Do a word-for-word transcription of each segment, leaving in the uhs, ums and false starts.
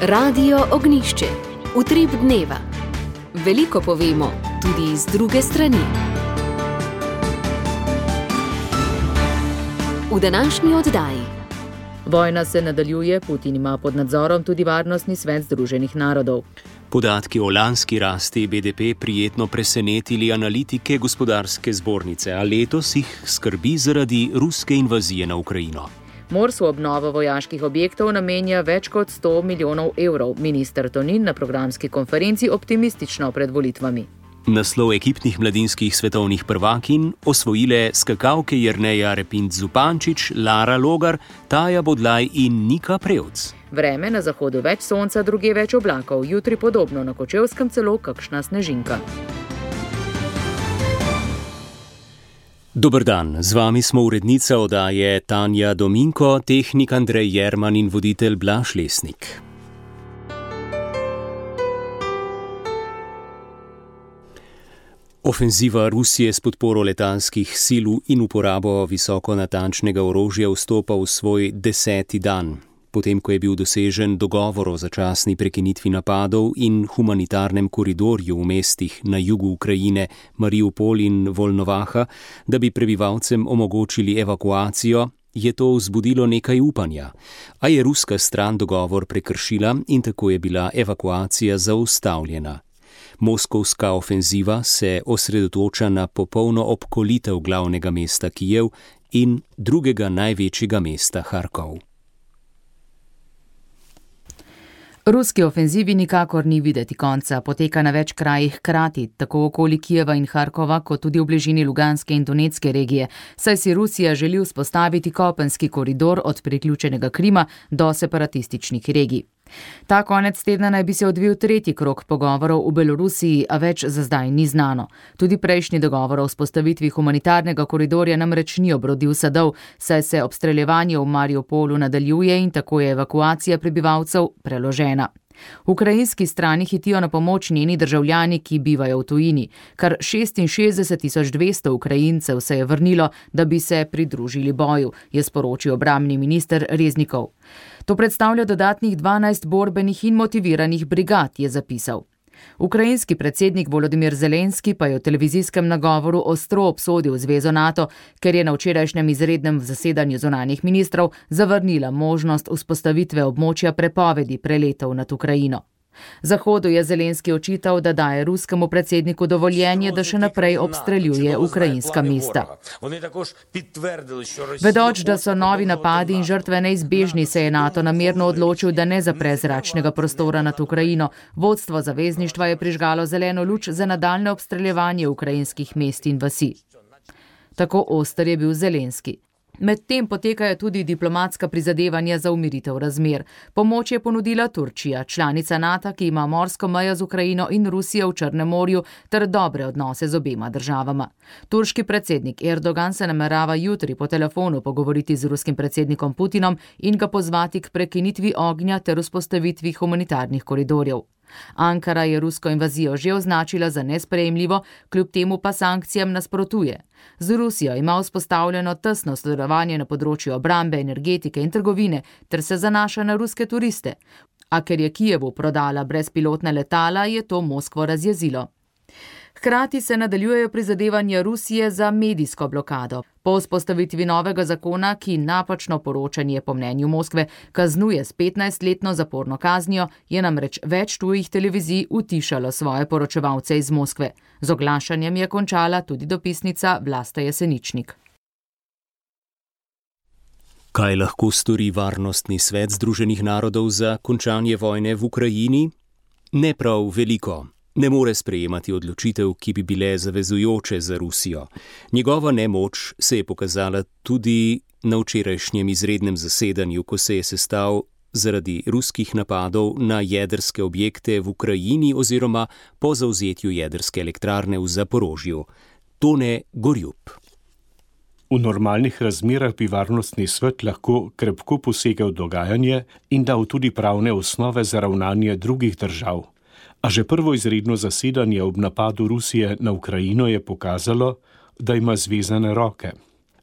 Radio Ognjišče. Utrip dneva. Veliko povemo, tudi z druge strani. V današnji oddaji. Vojna se nadaljuje, Putin ima pod nadzorom tudi Varnostni svet Združenih narodov. Podatki o lanski rasti B D P prijetno presenetili analitike gospodarske zbornice, a letos jih skrbi zaradi ruske invazije na Ukrajino. Mors v obnovo vojaških objektov namenja več kot sto milijonov evrov. Minister Tonin na programski konferenci optimistično pred volitvami. Naslov ekipnih mladinskih svetovnih prvakinj osvojile skakalke Jerneja Repint Zupančič, Lara Logar, Taja Bodlaj in Nika Prevc. Vreme na zahodu več sonca, druge več oblakov, jutri podobno, na Kočevskem celo kakšna snežinka. Dober dan, z vami smo urednica oddaje Tanja Dominko, tehnik Andrej Jerman in voditelj Blaž Lesnik. Ofenziva Rusije s podporo letalskih sil in uporabo visoko natančnega orožja vstopa v svoj deseti dan. Potem, ko je bil dosežen dogovor o začasni prekinitvi napadov in humanitarnem koridorju v mestih na jugu Ukrajine, Mariupol in Volnovaha, da bi prebivalcem omogočili evakuacijo, je to vzbudilo nekaj upanja. A je ruska stran dogovor prekršila in tako je bila evakuacija zaustavljena. Moskovska ofenziva se osredotoča na popolno obkolitev glavnega mesta Kijev in drugega največjega mesta Harkov. Ruski ofenzivi nikakor ni videti konca, poteka na več krajih hkrati, tako okoli Kijeva in Harkova, kot tudi v bližini Luganske in Donetske regije, saj si Rusija želi vzpostaviti kopenski koridor od priključenega Krima do separatističnih regij. Ta konec tedna naj bi se odvil tretji krog pogovorov v Belorusiji, a več za zdaj ni znano. Tudi prejšnji dogovor o vzpostavitvi humanitarnega koridorja namreč ni obrodil sadov, saj se obstreljevanje v Mariupolu nadaljuje in tako je evakuacija prebivalcev preložena. Ukrajinski strani hitijo na pomoč njeni državljani, ki bivajo v tujini. Kar šestinšestdeset tisoč dvesto Ukrajincev se je vrnilo, da bi se pridružili boju, je sporočil obrambni minister Reznikov. To predstavlja dodatnih dvanajst borbenih in motiviranih brigad, je zapisal. Ukrajinski predsednik Volodimir Zelenski pa je v televizijskem nagovoru ostro obsodil zvezo NATO, ker je na včerajšnjem izrednem zasedanju zunanjih ministrov zavrnila možnost vzpostavitve območja prepovedi preletov nad Ukrajino. Zahodu je Zelenski očital, da daje ruskemu predsedniku dovoljenje, da še naprej obstreljuje ukrajinska mesta. Vedoč, da so novi napadi in žrtve neizbežni, se je NATO namerno odločil, da ne zapre zračnega prostora nad Ukrajino. Vodstvo zavezništva je prižgalo zeleno luč za nadaljne obstreljevanje ukrajinskih mest in vasi. Tako oster je bil Zelenski. Medtem potekajo tudi diplomatska prizadevanja za umiritev razmer. Pomoč je ponudila Turčija, članica NATO, ki ima morsko mejo z Ukrajino in Rusijo v Črnem morju ter dobre odnose z obema državama. Turški predsednik Erdogan se namerava jutri po telefonu pogovoriti z ruskim predsednikom Putinom in ga pozvati k prekinitvi ognja ter vzpostavitvi humanitarnih koridorjev. Ankara je rusko invazijo že označila za nesprejemljivo, kljub temu pa sankcijam nasprotuje. Z Rusijo ima vzpostavljeno tesno sodelovanje na področju obrambe, energetike in trgovine ter se zanaša na ruske turiste. A ker je Kijevu prodala brezpilotna letala, je to Moskvo razjezilo. Hkrati se nadaljujejo prizadevanja Rusije za medijsko blokado. Po vzpostavitvi novega zakona, ki napačno poročanje po mnenju Moskve kaznuje s petnajstletno zaporno kaznijo, je namreč več tujih televizij utišalo svoje poročevalce iz Moskve. Z oglašanjem je končala tudi dopisnica Vlasta Jeseničnik. Kaj lahko stori Varnostni svet Združenih narodov za končanje vojne v Ukrajini? Ne prav veliko. Ne more sprejemati odločitev, ki bi bile zavezujoče za Rusijo. Njegova nemoč se je pokazala tudi na včerajšnjem izrednem zasedanju, ko se je sestal zaradi ruskih napadov na jedrske objekte v Ukrajini oziroma po zavzetju jedrske elektrarne v Zaporožju. Tone Gorjup. V normalnih razmerah bi Varnostni svet lahko krepko posegel dogajanje in dal tudi pravne osnove za ravnanje drugih držav. A že prvo izredno zasedanje ob napadu Rusije na Ukrajino je pokazalo, da ima zvezane roke.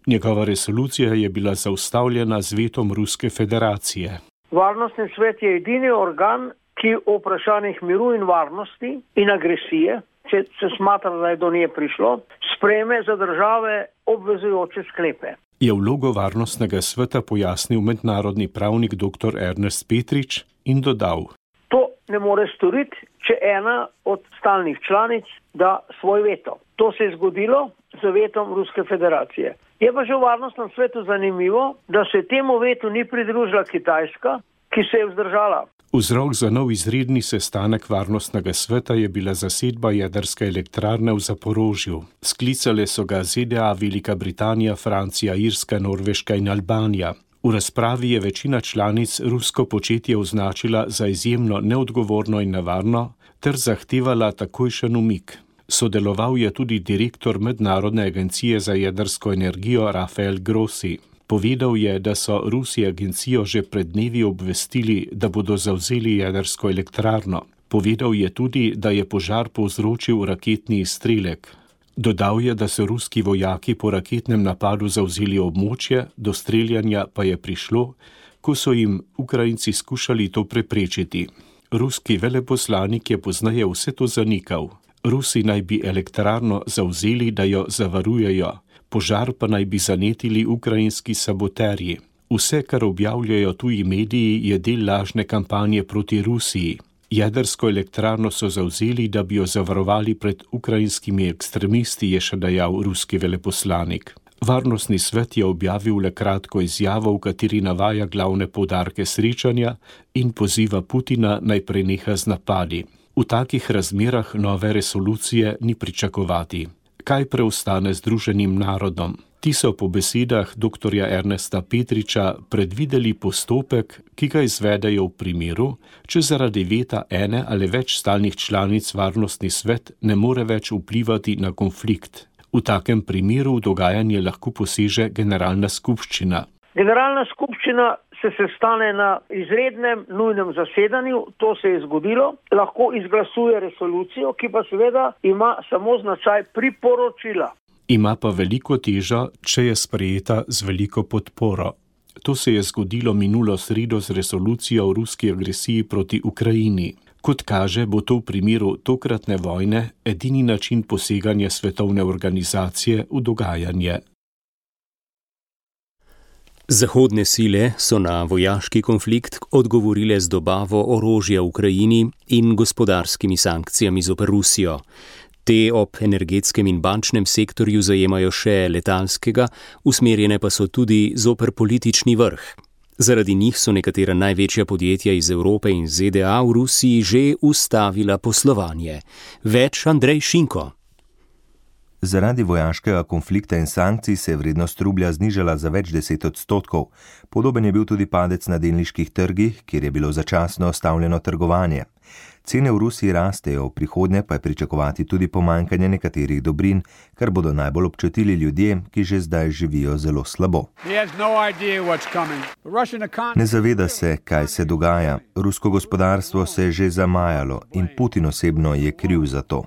Njegova resolucija je bila zaustavljena z vetom Ruske federacije. Varnostni svet je edini organ, ki o vprašanjih miru in varnosti in agresije, če se smatra, da je do nje prišlo, sprejme za države obvezujoče sklepe. Je vlogo Varnostnega sveta pojasnil mednarodni pravnik dr. Ernest Petrič in dodal: To ne more storiti, če ena od stalnih članic da svoj veto. To se je zgodilo z vetom Ruske federacije. Je pa že v Varnostnem svetu zanimivo, da se temu vetu ni pridružila Kitajska, ki se je vzdržala. Vzrok za nov izredni sestanek Varnostnega sveta je bila zasedba jedrske elektrarne v Zaporožju. Sklicale so ga Z D A, Velika Britanija, Francija, Irska, Norveška in Albanija. V razpravi je večina članic rusko početje označila za izjemno neodgovorno in nevarno ter zahtevala takojšen umik. Sodeloval je tudi direktor Mednarodne agencije za jedrsko energijo Rafael Grossi. Povedal je, da so Rusi agencijo že pred dnevi obvestili, da bodo zavzeli jedrsko elektrarno. Povedal je tudi, da je požar povzročil raketni izstrelek. Dodal je, da so ruski vojaki po raketnem napadu zavzeli območje, do streljanja pa je prišlo, ko so jim Ukrajinci skušali to preprečiti. Ruski veleposlanik je pozneje vse to zanikal. Rusi naj bi elektrarno zavzeli, da jo zavarujejo. Požar pa naj bi zanetili ukrajinski saboterji. Vse, kar objavljajo tuji mediji, je del lažne kampanje proti Rusiji. Jedrsko elektrarno so zavzeli, da bi jo zavarovali pred ukrajinskimi ekstremisti, je še dejal ruski veleposlanik. Varnostni svet je objavil le kratko izjavo, v kateri navaja glavne poudarke srečanja in poziva Putina naj preneha z napadi. V takih razmerah nove resolucije ni pričakovati. Kaj preostane Združenim narodom? Ti so po besedah dr. Ernesta Petriča predvideli postopek, ki ga izvedejo v primeru, če zaradi veta ene ali več stalnih članic Varnostni svet ne more več vplivati na konflikt. V takem primeru v dogajanje lahko poseže generalna skupščina. Generalna skupščina se sestane na izrednem nujnem zasedanju, to se je zgodilo, lahko izglasuje resolucijo, ki pa seveda ima samo značaj priporočila. Ima pa veliko težo, če je sprejeta z veliko podporo. To se je zgodilo minulo sredo z resolucijo o ruski agresiji proti Ukrajini. Kot kaže, bo to v primeru tokratne vojne edini način poseganja svetovne organizacije v dogajanje. Zahodne sile so na vojaški konflikt odgovorile z dobavo orožja Ukrajini in gospodarskimi sankcijami zoper Rusijo. Te ob energetskem in bančnem sektorju zajemajo še letalskega, usmerjene pa so tudi zoper politični vrh. Zaradi njih so nekatera največja podjetja iz Evrope in Z D A v Rusiji že ustavila poslovanje. Več Andrej Šinko. Zaradi vojaškega konflikta in sankcij se je vrednost rublja znižala za več deset odstotkov. Podoben je bil tudi padec na delniških trgih, kjer je bilo začasno ustavljeno trgovanje. Cene v Rusiji rastejo, v prihodnje pa je pričakovati tudi pomanjkanje nekaterih dobrin, kar bodo najbolj občutili ljudje, ki že zdaj živijo zelo slabo. Ne zaveda se, kaj se dogaja. Rusko gospodarstvo se je že zamajalo in Putin osebno je kriv za to.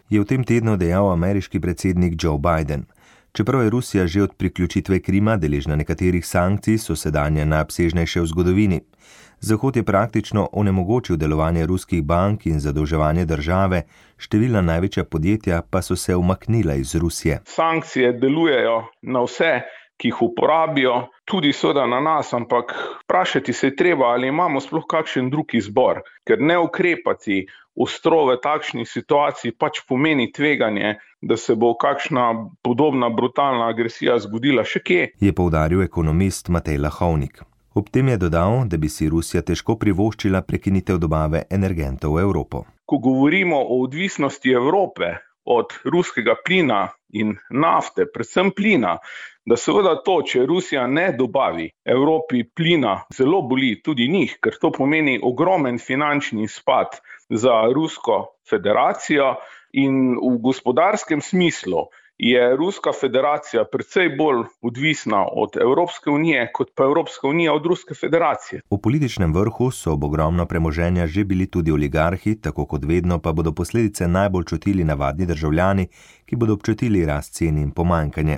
Je v tem tednu dejal ameriški predsednik Joe Biden. Čeprav je Rusija že od priključitve Krima deležna nekaterih sankcij, so sedanje najobsežnejše v zgodovini. Zahod je praktično onemogočil delovanje ruskih bank in zadolževanje države, številna največja podjetja pa so se umaknila iz Rusije. Sankcije delujejo na vse, ki jih uporabijo, tudi seveda na nas, ampak vprašati se je treba, ali imamo sploh kakšen drug izbor, ker ne ukrepati ostro v takšni situaciji pač pomeni tveganje, da se bo kakšna podobna brutalna agresija zgodila še kje. Je poudaril ekonomist Matej Lahovnik. Ob tem je dodal, da bi si Rusija težko privoščila prekinitev dobave energentov v Evropo. Ko govorimo o odvisnosti Evrope od ruskega plina in nafte, predvsem plina, da seveda to, če Rusija ne dobavi Evropi plina, zelo boli tudi njih, ker to pomeni ogromen finančni izpad za Rusko federacijo in v gospodarskem smislu je Ruska federacija precej bolj odvisna od Evropske unije, kot pa Evropska unija od Ruske federacije. V političnem vrhu so ob ogromno premoženja že bili tudi oligarhi, tako kot vedno pa bodo posledice najbolj čutili navadni državljani, ki bodo občutili rast cen in pomanjkanje.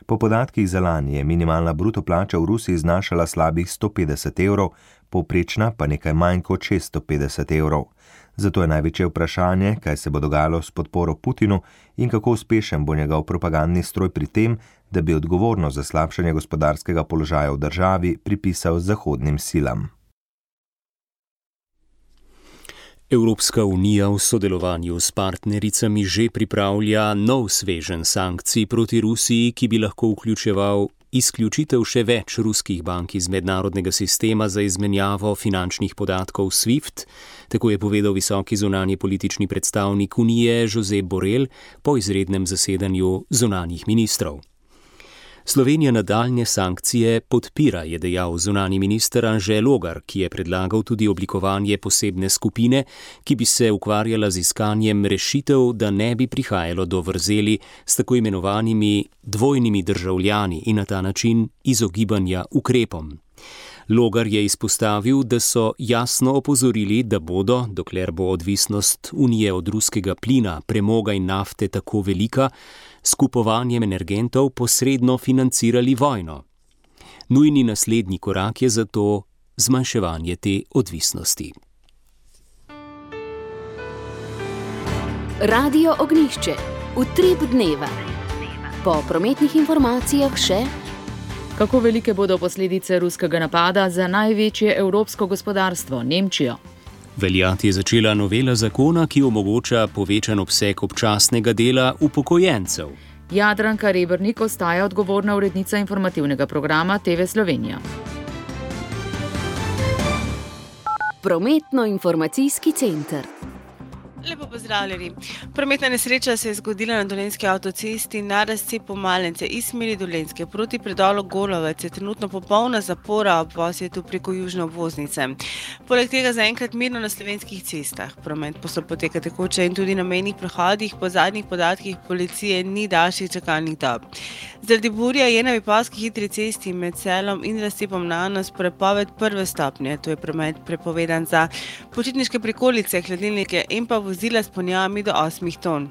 Po podatkih za lani je minimalna bruto plača v Rusiji znašala slabih sto petdeset evrov, povprečna pa nekaj manj kot šeststo petdeset evrov. Zato je največje vprašanje, kaj se bo dogajalo s podporo Putinu in kako uspešen bo njegov propagandni stroj pri tem, da bi odgovornost za slabšanje gospodarskega položaja v državi pripisal zahodnim silam. Evropska unija v sodelovanju s partnericami že pripravlja nov sveženj sankcij proti Rusiji, ki bi lahko vključeval izključitev še več ruskih bank iz mednarodnega sistema za izmenjavo finančnih podatkov SWIFT, tako je povedal visoki zunanji politični predstavnik Unije Josep Borrell po izrednem zasedanju zunanjih ministrov. Slovenija nadaljnje sankcije podpira, je dejal zunanji minister Anže Logar, ki je predlagal tudi oblikovanje posebne skupine, ki bi se ukvarjala z iskanjem rešitev, da ne bi prihajalo do vrzeli s tako imenovanimi dvojnimi državljani in na ta način izogibanja ukrepom. Logar je izpostavil, da so jasno opozorili, da bodo, dokler bo odvisnost Unije od ruskega plina, premoga in nafte tako velika, s kupovanjem energentov posredno financirali vojno. Nujni naslednji korak je zato zmanjševanje te odvisnosti. Radio Ognjišče. Utrip dneva. Po prometnih informacijah še: kako velike bodo posledice ruskega napada za največje evropsko gospodarstvo, Nemčijo? Veljati je začela novela zakona, ki omogoča povečan obseg občasnega dela upokojencev. Jadranka Rebernik ostaja odgovorna urednica informativnega programa T V Slovenija. Prometno-informacijski center. Lepo pozdravljeni. Prometna nesreča se je zgodila na Dolenjski avtocesti na razcepu Malence iz smeri Dolenjske proti predolu Golovec. Je trenutno popolna zapora ob posjetu preko južne obvoznice. Poleg tega zaenkrat mirno na slovenskih cestah. Promet poteka tekoče in tudi na mejnih prehodih. Po zadnjih podatkih policije ni daljših čakalnih dob. Zaradi burja je na Vipavski hitri cesti med Selom in razcepom Nanos prepoved prve stopnje. To je promet prepovedan za počitniške prikolice, hladilnike in pa vozila s ponjavami do osmih ton.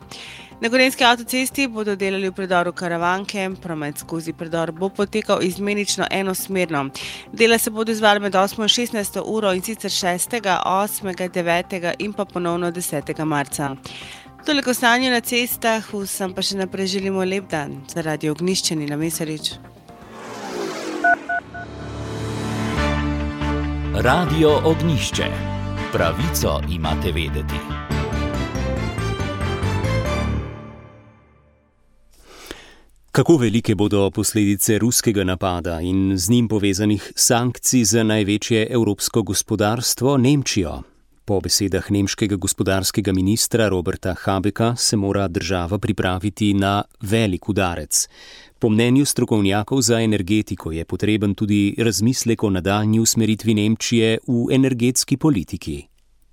Na Gorenjski avtocesti bodo delali v predoru Karavanke, promet skozi predor bo potekal izmenično enosmerno. Dela se bodo izvali med osmo in šestnajsto uro in sicer šestega, osmega, devetega in pa ponovno desetega marca. Toliko stanje na cestah, vsem pa še naprej želimo lep dan. Za Radio Ognjišče Nina Mesarič. Radio Ognjišče. Pravico imate vedeti. Kako velike bodo posledice ruskega napada in z njim povezanih sankcij za največje evropsko gospodarstvo, Nemčijo? Po besedah nemškega gospodarskega ministra Roberta Habecka se mora država pripraviti na velik udarec. Po mnenju strokovnjakov za energetiko je potreben tudi razmislek o nadaljnji usmeritvi Nemčije v energetski politiki.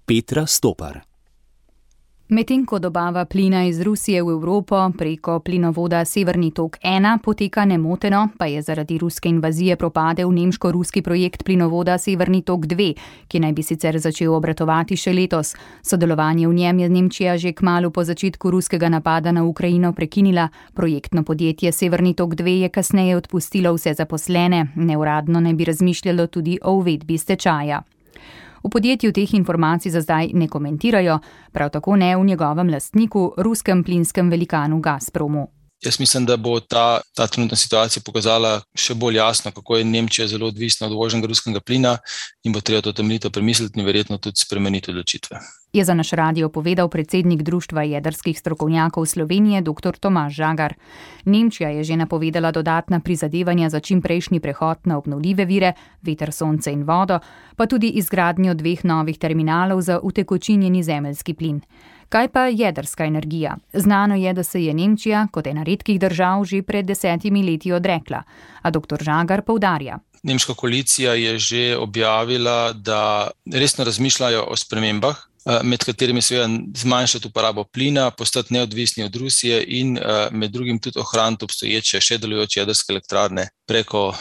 Petra Stopar. Medtem ko dobava plina iz Rusije v Evropo preko plinovoda Severni tok ena poteka nemoteno, pa je zaradi ruske invazije propadel nemško-ruski projekt plinovoda Severni tok dve, ki naj bi sicer začel obratovati še letos. Sodelovanje v njem je Nemčija že kmalu po začetku ruskega napada na Ukrajino prekinila. Projektno podjetje Severni tok dve je kasneje odpustilo vse zaposlene, neuradno naj bi razmišljalo tudi o uvedbi stečaja. V podjetju teh informacij za zdaj ne komentirajo, prav tako ne v njegovem lastniku, ruskem plinskem velikanu Gazpromu. Jaz mislim, da bo ta, ta trenutna situacija pokazala še bolj jasno, kako je Nemčija zelo odvisna od uvoženega ruskega plina in bo treba to temeljito premisliti in verjetno tudi spremeniti odločitve. Je za naš radio povedal predsednik Društva jedrskih strokovnjakov Slovenije dr. Tomaž Žagar. Nemčija je že napovedala dodatna prizadevanja za čimprejšnji prehod na obnovljive vire, veter, sonce in vodo, pa tudi izgradnjo dveh novih terminalov za utekočinjeni zemeljski plin. Kaj pa jedrska energija? Znano je, da se je Nemčija kot ena redkih držav že pred desetimi leti odrekla, a dr. Žagar poudarja. Nemška koalicija je že objavila, da resno razmišljajo o spremembah med katerimi seveda zmanjšati uporabo plina, postati neodvisni od Rusije in med drugim tudi ohraniti obstoječe še delujoče jedrske elektrarne preko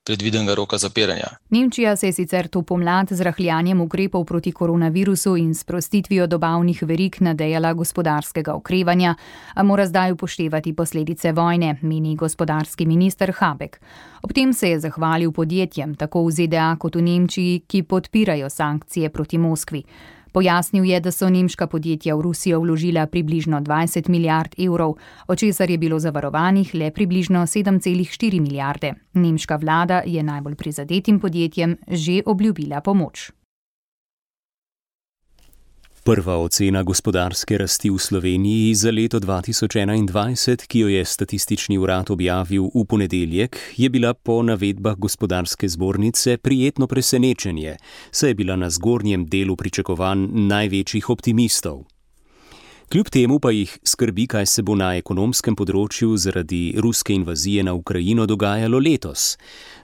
predvidenega roka zapiranja. Nemčija se je sicer to pomlad z rahljanjem ukrepov proti koronavirusu in sprostitvijo dobavnih verig nadejala gospodarskega okrevanja, a mora zdaj upoštevati posledice vojne, meni gospodarski minister Habeck. Ob tem se je zahvalil podjetjem, tako v Z D A kot v Nemčiji, ki podpirajo sankcije proti Moskvi. Pojasnil je, da so nemška podjetja v Rusijo vložila približno dvajset milijard evrov, od česar je bilo zavarovanih le približno sedem celih štiri milijarde. Nemška vlada je najbolj prizadetim podjetjem že obljubila pomoč. Prva ocena gospodarske rasti v Sloveniji za leto dva tisoč enaindvajset, ki jo je Statistični urad objavil v ponedeljek, je bila po navedbah gospodarske zbornice prijetno presenečenje, saj je bila na zgornjem delu pričakovanj največjih optimistov. Kljub temu pa jih skrbi, kaj se bo na ekonomskem področju zaradi ruske invazije na Ukrajino dogajalo letos.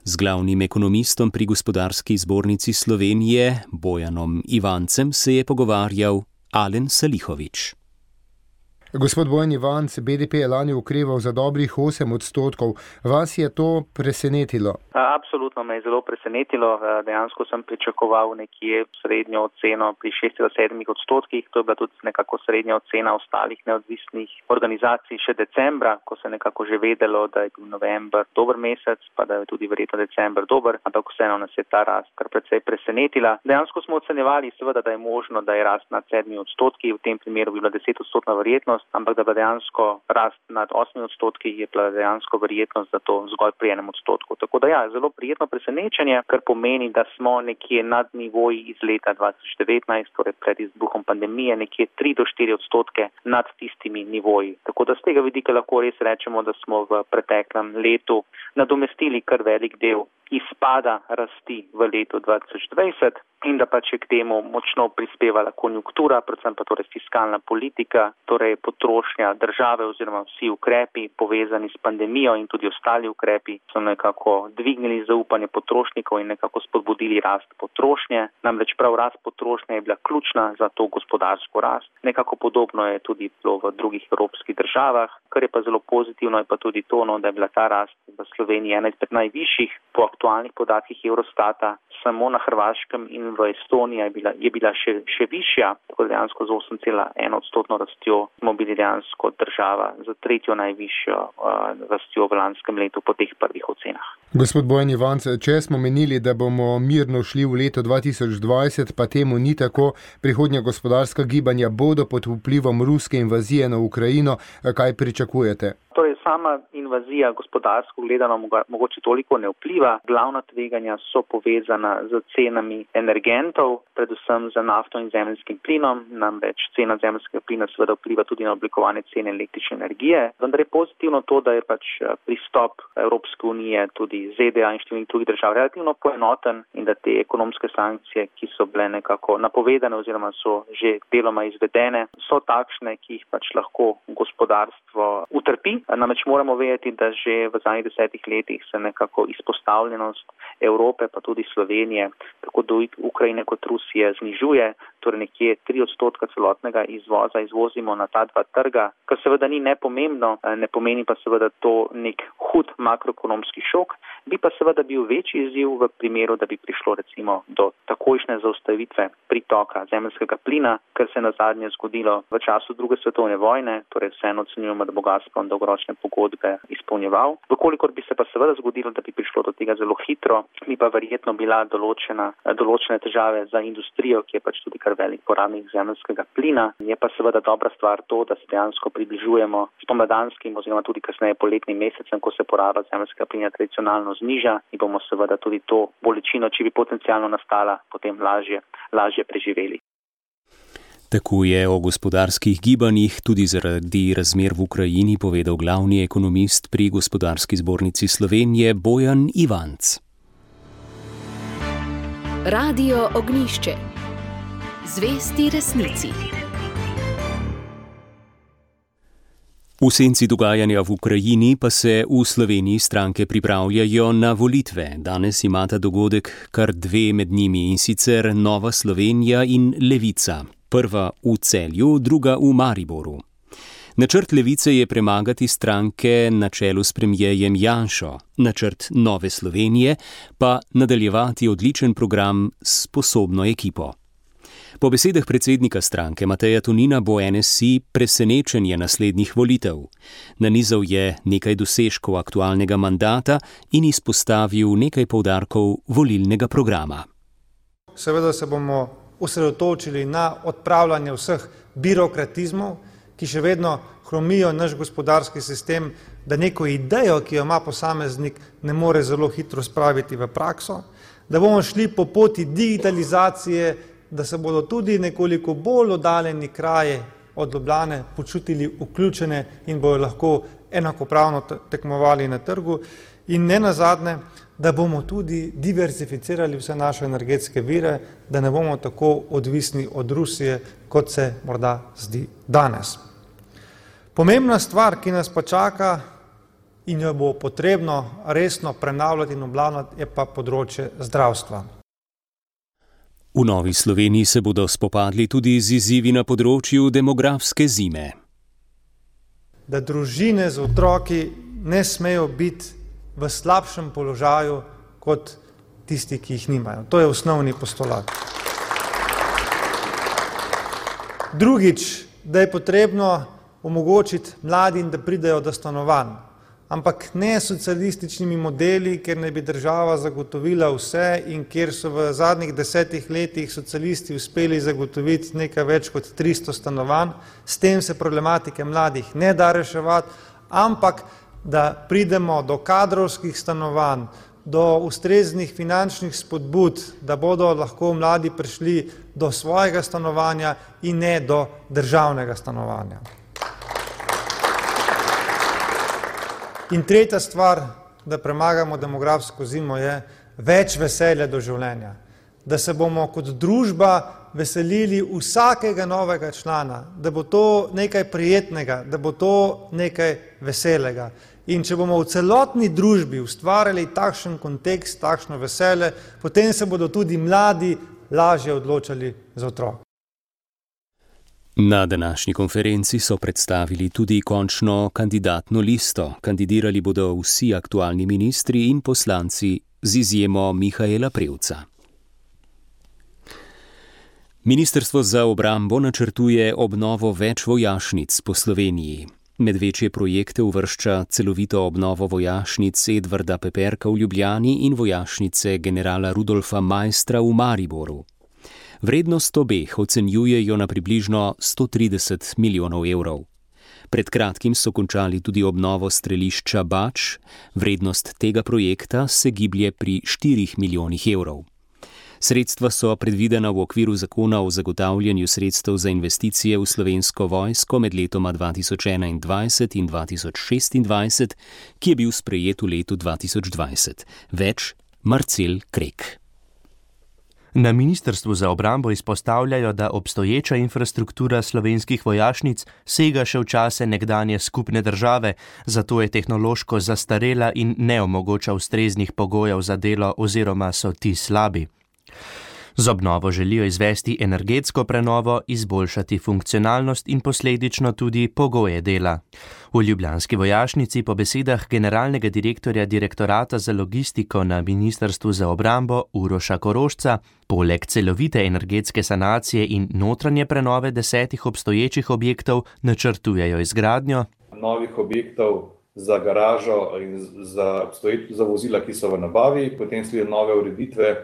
Z glavnim ekonomistom pri Gospodarski zbornici Slovenije, Bojanom Ivancem, se je pogovarjal Alen Salihović. Gospod Bojan Ivanc, B D P je lani okreval za dobrih osem odstotkov. Vas je to presenetilo? Absolutno me je zelo presenetilo. Dejansko sem pričakoval nekje srednjo oceno pri šest do sedem odstotkih. To je bila tudi nekako srednja ocena ostalih neodvisnih organizacij še decembra, ko se nekako že vedelo, da je bil november dober mesec, pa da je tudi verjetno december dober, ampak vseeno nas je ta rast kar precej presenetila. Dejansko smo ocenjevali seveda, da je možno, da je rast nad sedmi odstotki, v tem primeru bi bila deset odstotna verjetnost, ampak da bi dejansko rast nad osmi odstotki je bila dejansko verjetnost za to zgolj pri enem odstotku. Tako da ja, zelo prijetno presenečenje, kar pomeni, da smo nekje nad nivoji iz leta dva tisoč devetnajst, torej pred izbruhom pandemije, nekje tri do štiri odstotke nad tistimi nivoji. Tako da z tega vidika lahko res rečemo, da smo v preteklem letu nadomestili kar velik del izpada rasti v letu dva tisoč dvajset in da pač je k temu močno prispevala konjunktura, predvsem pa torej fiskalna politika, torej potrošnja države oziroma vsi ukrepi povezani s pandemijo in tudi ostali ukrepi so nekako dvignili zaupanje potrošnikov in nekako spodbudili rast potrošnje. Namreč prav rast potrošnje je bila ključna za to gospodarsko rast. Nekako podobno je tudi bilo v drugih evropskih državah, kar je pa zelo pozitivno je pa tudi to, no, da je bila ta rast v Sloveniji ena izmed najvišjih po aktualnih podatkih Eurostata, samo na Hrvaškem in v Estoniji je bila, je bila še, še višja, tako dejansko z osem cela ena odstotno rastjo smo bili dejansko država za tretjo najvišjo uh, rastjo v lanskem letu po teh prvih ocenah. Gospod Bojan Ivanc, če smo menili, da bomo mirno šli v leto dva tisoč dvajset, pa temu ni tako, prihodnja gospodarska gibanja bodo pod vplivom ruske invazije na Ukrajino, kaj pričakujete? Torej, sama invazija gospodarsko gledano mogoče toliko ne vpliva. Glavna tveganja so povezana z cenami energentov, predvsem za nafto in zemeljskim plinom. Namreč cena zemeljskega plina seveda vpliva tudi na oblikovanje cene električne energije. Vendar je pozitivno to, da je pač pristop Evropske unije, tudi Z D A in številnih drugih držav relativno poenoten in da te ekonomske sankcije, ki so bile nekako napovedane oziroma so že deloma izvedene, so takšne, ki jih pač lahko gospodarstvo utrpi. Namreč moramo vedeti, da že v zadnjih desetih letih se nekako izpostavljenost Evrope, pa tudi Slovenije, tako do Ukrajine kot Rusije znižuje, torej nekje tri odstotka celotnega izvoza izvozimo na ta dva trga, kar seveda ni nepomembno, ne pomeni pa seveda to nek hud makroekonomski šok, bi pa seveda bil večji izziv v primeru, da bi prišlo recimo do takojšnje zaustavitve pritoka zemeljskega plina, kar se je nazadnje zgodilo v času druge svetovne vojne, torej vseeno ocenjujemo, da bo Gazprom dolgoročne pogodbe izpolnjeval. Vkolikor bi se pa seveda zgodilo, da bi prišlo do tega zelo hitro, bi pa verjetno bila določena, določene težave za industrijo, ki je pač tudi kar velik porabnik zemeljskega plina. Je pa seveda dobra stvar to, da se dejansko približujemo spomladanskim oziroma tudi kasneje poletnim mesecem, ko se poraba zemeljskega plina tradicionalno zniža in bomo seveda tudi to bolečino, če bi potencialno nastala, potem lažje, lažje preživeli. Tako je o gospodarskih gibanjih tudi zaradi razmer v Ukrajini povedal glavni ekonomist pri Gospodarski zbornici Slovenije Bojan Ivanc. Radio Ognjišče. Zvesti resnici. V senci dogajanja v Ukrajini pa se v Sloveniji stranke pripravljajo na volitve. Danes imata dogodek kar dve med njimi, in sicer Nova Slovenija in Levica. prva v Celju, druga v Mariboru. Načrt Levice je premagati stranke na čelu s premierjem Janšo, načrt Nove Slovenije pa nadaljevati odličen program s sposobno ekipo. Po besedah predsednika stranke Mateja Tonina bo N S I presenečenje naslednjih volitev. Nanizal je nekaj dosežkov aktualnega mandata in izpostavil nekaj poudarkov volilnega programa. Seveda se bomo osredotočili na odpravljanje vseh birokratizmov, ki še vedno hromijo naš gospodarski sistem, da neko idejo, ki jo ima posameznik, ne more zelo hitro spraviti v prakso, da bomo šli po poti digitalizacije, da se bodo tudi nekoliko bolj oddaljeni kraji od Ljubljane počutili vključene in bodo lahko enakopravno tekmovali na trgu in ne nazadnje, da bomo tudi diversificirali vse naše energetske vire, da ne bomo tako odvisni od Rusije, kot se morda zdi danes. Pomembna stvar, ki nas pa čaka in jo bo potrebno resno prenavljati in obnavljati, je pa področje zdravstva. V Novi Sloveniji se bodo spopadli tudi z izzivi na področju demografske zime. Da družine z otroki ne smejo biti v slabšem položaju kot tisti, ki jih nimajo. To je osnovni postulat. Drugič, da je potrebno omogočiti mladim, da pridejo do stanovanj, ampak ne socialističnimi modeli, kjer ne bi država zagotovila vse in kjer so v zadnjih desetih letih socialisti uspeli zagotoviti nekaj več kot tristo stanovanj. S tem se problematike mladih ne da reševati, ampak da pridemo do kadrovskih stanovanj, do ustreznih finančnih spodbud, da bodo lahko mladi prišli do svojega stanovanja in ne do državnega stanovanja. In tretja stvar, da premagamo demografsko zimo, je več veselja do življenja. Da se bomo kot družba veselili vsakega novega člana, da bo to nekaj prijetnega, da bo to nekaj veselega. In če bomo v celotni družbi ustvarjali takšen kontekst, takšno veselje, potem se bodo tudi mladi lažje odločali za otrok. Na današnji konferenci so predstavili tudi končno kandidatno listo. Kandidirali bodo vsi aktualni ministri in poslanci z izjemo Mihaela Prevca. Ministrstvo za obrambo načrtuje obnovo več vojašnic po Sloveniji. Med večje projekte uvršča celovito obnovo vojašnic Edvarda Peperka v Ljubljani in vojašnice generala Rudolfa Maistra v Mariboru. Vrednost obeh ocenjujejo na približno sto trideset milijonov evrov. Pred kratkim so končali tudi obnovo strelišča Bač, vrednost tega projekta se giblje pri štirih milijonih evrov. Sredstva so predvidena v okviru zakona o zagotavljanju sredstev za investicije v Slovensko vojsko med letoma dva tisoč enaindvajset in dva tisoč šestindvajset, ki je bil sprejet v letu dva tisoč dvajset. Več Marcel Krek. Na Ministrstvu za obrambo izpostavljajo, da obstoječa infrastruktura slovenskih vojašnic sega še v čase nekdanje skupne države, zato je tehnološko zastarela in ne omogoča ustreznih pogojev za delo oziroma so ti slabi. Z obnovo želijo izvesti energetsko prenovo, izboljšati funkcionalnost in posledično tudi pogoje dela. V ljubljanski vojašnici po besedah generalnega direktorja direktorata za logistiko na Ministrstvu za obrambo Uroša Korošca poleg celovite energetske sanacije in notranje prenove desetih obstoječih objektov načrtujejo izgradnjo novih objektov za garažo in za, za vozila, ki so v nabavi, potem sledijo nove ureditve,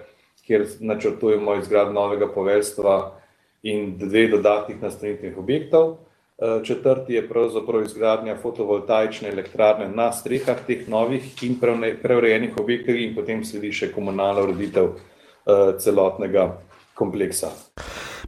kjer načrtujemo izgradnjo novega poveljstva in dve dodatnih nastanitvenih objektov. Četrti je pravzaprav izgradnja fotovoltaične elektrarne na strehah teh novih in preurejenih objektov in potem sledi še komunalna ureditev celotnega kompleksa.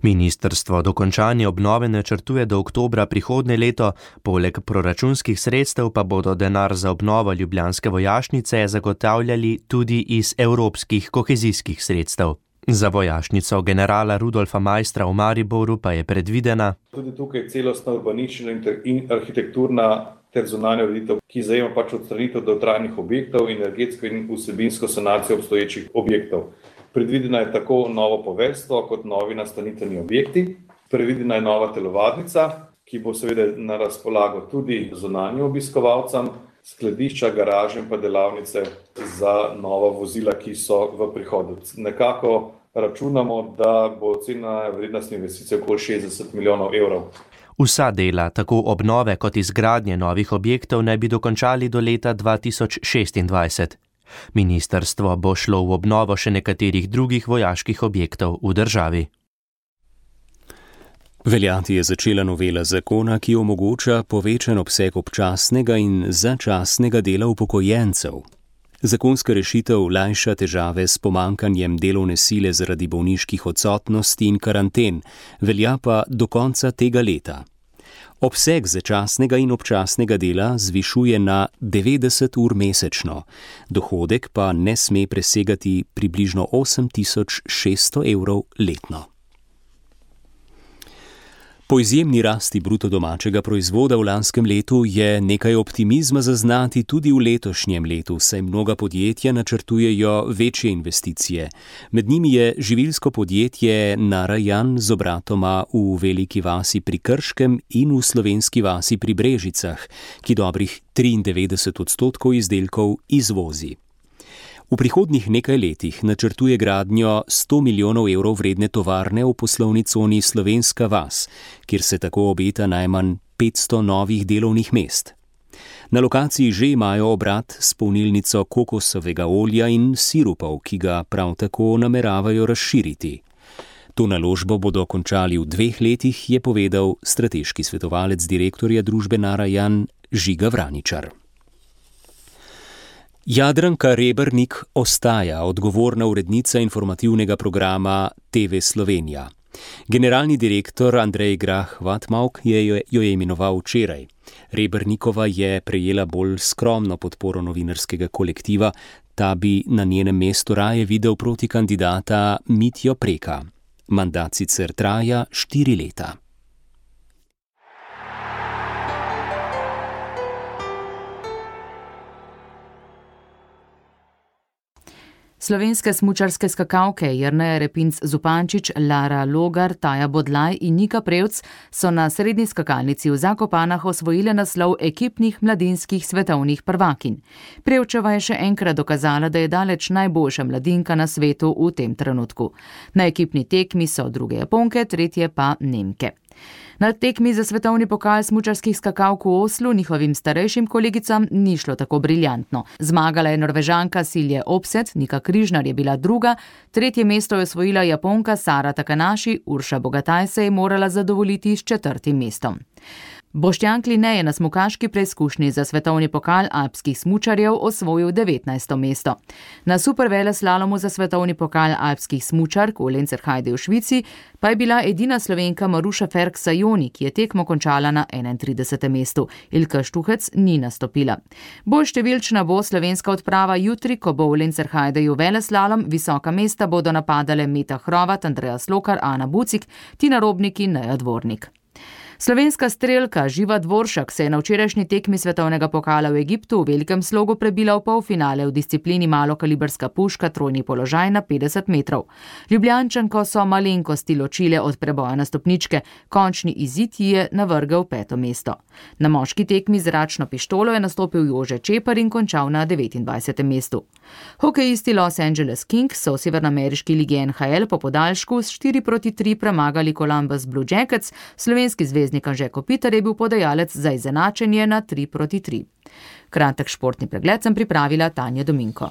Ministrstvo dokončanje obnove načrtuje do oktobra prihodnje leto, poleg proračunskih sredstev pa bodo denar za obnovo ljubljanske vojašnice zagotavljali tudi iz evropskih kohezijskih sredstev. Za vojašnico generala Rudolfa Maistra v Mariboru pa je predvidena tudi tukaj celostna urbanična in arhitekturna ter zunanja ureditev, ki zajema pač odstranitev dotrajanih objektov, energetsko in vsebinsko sanacijo obstoječih objektov. Predvidena je tako novo poveljstvo kot novi nastanitveni objekti. Predvidena je nova telovadnica, ki bo seveda na razpolago tudi zunanjim obiskovalcem, skladišča, garaže in pa delavnice za nova vozila, ki so v prihodu. Nekako računamo, da bo ocena vrednosti investicije okoli šestdeset milijonov evrov. Vsa dela, tako obnove kot izgradnje novih objektov, naj bi dokončali do leta dva tisoč šestindvajset. Ministrstvo bo šlo v obnovo še nekaterih drugih vojaških objektov v državi. Veljati je začela novela zakona, ki omogoča povečan obseg občasnega in začasnega dela upokojencev. Zakonska rešitev lajša težave s pomankanjem delovne sile zaradi bolniških odsotnosti in karanten, velja pa do konca tega leta. Obseg začasnega in občasnega dela zvišuje na devetdeset ur mesečno, dohodek pa ne sme presegati približno osem tisoč šeststo evrov letno. Po izjemni rasti bruto domačega proizvoda v lanskem letu je nekaj optimizma zaznati tudi v letošnjem letu, saj mnoga podjetja načrtujejo večje investicije. Med njimi je živilsko podjetje Narayan z obratoma v Veliki vasi pri Krškem in v Slovenski vasi pri Brežicah, ki dobrih triindevetdeset odstotkov izdelkov izvozi. V prihodnjih nekaj letih načrtuje gradnjo sto milijonov evrov vredne tovarne v poslovni coni Slovenska vas, kjer se tako obeta najmanj petsto novih delovnih mest. Na lokaciji že imajo obrat s polnilnico kokosovega olja in sirupov, ki ga prav tako nameravajo razširiti. To naložbo bodo končali v dveh letih, je povedal strateški svetovalec direktorja družbe Narayan Žiga Vraničar. Jadranka Rebernik ostaja odgovorna urednica informativnega programa T V Slovenija. Generalni direktor Andrej Grah-Vatmauk je jo je imenoval včeraj. Rebernikova je prejela bolj skromno podporo novinarskega kolektiva, ta bi na njenem mestu raje videl protikandidata Mitjo Preka. Mandat sicer traja štiri leta. Slovenske smučarske skakalke Jerneja Repinc Zupančič, Lara Logar, Taja Bodlaj in Nika Prevc so na srednji skakalnici v Zakopanah osvojile naslov ekipnih mladinskih svetovnih prvakinj. Prevčeva je še enkrat dokazala, da je daleč najboljša mladinka na svetu v tem trenutku. Na ekipni tekmi so druge Japonke, tretje pa Nemke. Na tekmi za svetovni pokal smučarskih skakalk v Oslu njihovim starejšim kolegicam ni šlo tako briljantno. Zmagala je Norvežanka Silje Opset, Nika Križnar je bila druga, tretje mesto je osvojila Japonka Sara Takanashi, Urša Bogataj se je morala zadovoljiti s četrtim mestom. Boštjan Kline je na smukaški preizkušnji za svetovni pokal alpskih smučarjev osvojil devetnajsto mesto. Na superveleslalomu za svetovni pokal alpskih smučark v Lenzerheide v Švici pa je bila edina Slovenka Maruša Ferk-Sajoni, ki je tekmo končala na enaintridesetem mestu. Ilka Štuhec ni nastopila. Bolj številčna bo slovenska odprava jutri, ko bo v Lenzerheideju veleslalom, visoka mesta bodo napadale Meta Hrovat, Andreja Slokar, Ana Bucik, Tina Robnik in Neja Dvornik. Slovenska strelka Živa Dvoršak se je na včerajšnji tekmi svetovnega pokala v Egiptu v velikem slogu prebila v polfinale v disciplini malokalibrska puška trojni položaj na petdeset metrov. Ljubljančanko so malenkosti ločile od preboja na stopničke, končni izid ji je navrgel peto mesto. Na moški tekmi z zračno pištolo je nastopil Jože Čepar in končal na devetindvajsetem mestu. Hokejisti Los Angeles Kings so v severnoameriški ligi N H L po podaljšku s štiri proti tri premagali Columbus Blue Jackets, slovenski zvezdnik Anže Kopitar je bil podajalec za izenačenje na tri proti tri. Kratek športni pregled sem pripravila Tanja Dominko.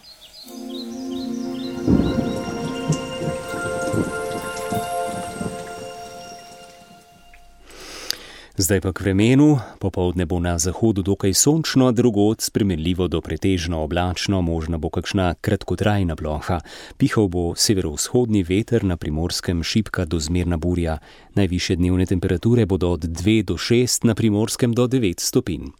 Zdaj pa k vremenu. Popoldne bo na zahodu dokaj sončno, drugod spremenljivo do pretežno oblačno, možna bo kakšna kratkotrajna ploha. Pihal bo severovzhodni veter, na Primorskem šibka do zmerna burja. Najvišje dnevne temperature bodo od dve do šest, na Primorskem do devet stopinj.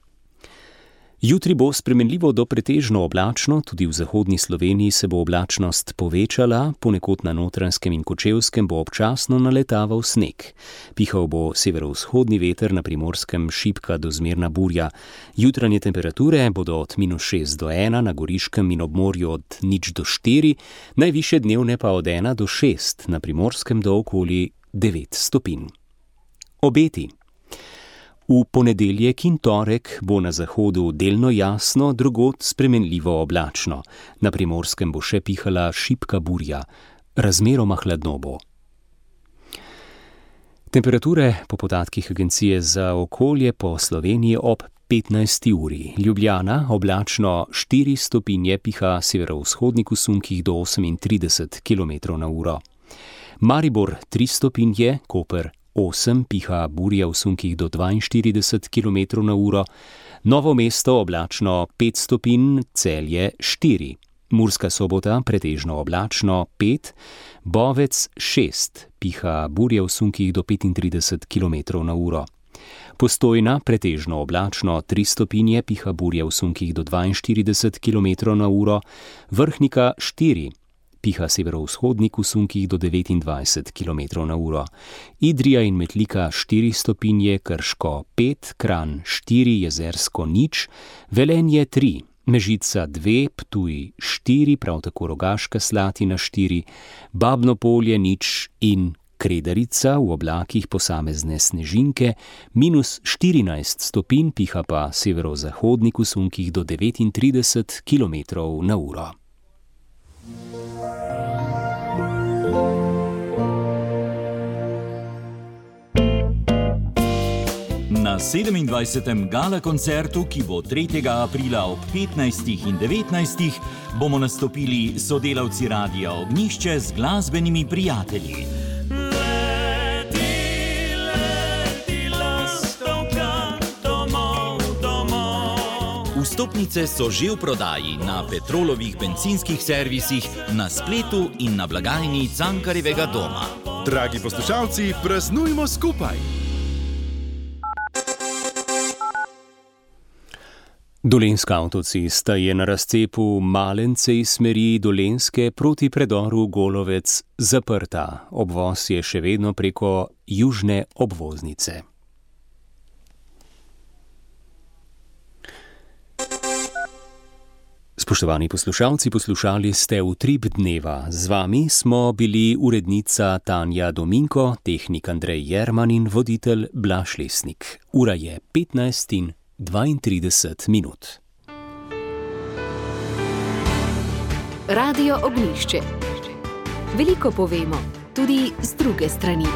Jutri bo spremenljivo do pretežno oblačno, tudi v zahodni Sloveniji se bo oblačnost povečala, ponekod na Notranjskem in Kočevskem bo občasno naletaval sneg. Pihal bo severovzhodni veter, na Primorskem šibka do zmerna burja. Jutranje temperature bodo od minus šest do ena, na Goriškem in ob morju od nič do štiri, najvišje dnevne pa od ena do šest, na Primorskem do okoli devet stopinj. Obeti. V ponedeljek in torek bo na zahodu delno jasno, drugod spremenljivo oblačno. Na Primorskem bo še pihala šibka burja, razmeroma hladno bo. Temperature po podatkih Agencije za okolje po Sloveniji ob petnajsti uri. Ljubljana oblačno štiri stopinje, piha severovzhodnik v sunkih do osemintrideset kilometrov na uro. Maribor tri stopinje, Koper osem, piha burja v sunkih do dvainštirideset kilometrov na uro. Novo mesto oblačno pet stopinj, Celje štiri. Murska Sobota pretežno oblačno pet, Bovec šest, piha burja v sunkih do petintrideset kilometrov na uro. Postojna pretežno oblačno tri stopinje, piha burja v sunkih do dvainštirideset kilometrov na uro. Vrhnika štiri, piha severovzhodnik v sunkih do devetindvajset kilometrov na uro. Idrija in Metlika štiri stopinje, Krško pet, Kranj štiri, Jezersko nič, Velenje tri, Mežica dve, Ptuj štiri, prav tako Rogaška Slatina štiri, Babno Polje nič in Kredarica v oblakih posamezne snežinke, minus štirinajst stopinj, piha pa severozahodnik v sunkih do devetintrideset kilometrov na uro. Na sedemindvajsetem gala koncertu, ki bo tretjega aprila ob petnajstih in devetnajstih, bomo nastopili sodelavci Radia Ognjišče z glasbenimi prijatelji. Leti, leti, lastovka, domov, domov. Vstopnice so že v prodaji na Petrolovih bencinskih servisih, na spletu in na blagajni Cankarjevega doma. Dragi poslušalci, praznujmo skupaj! Dolenjska avtocesta je na razcepu Malence iz smeri Dolenjske proti predoru Golovec zaprta. Obvoz je še vedno preko južne obvoznice. Spoštovani poslušalci, poslušali ste Utrip dneva. Z vami smo bili urednica Tanja Dominko, tehnik Andrej Jerman in voditelj Blaž Lesnik. Ura je petnajst in dvaintrideset minut. Radio Ognjišče. Veliko povemo, tudi z druge strani.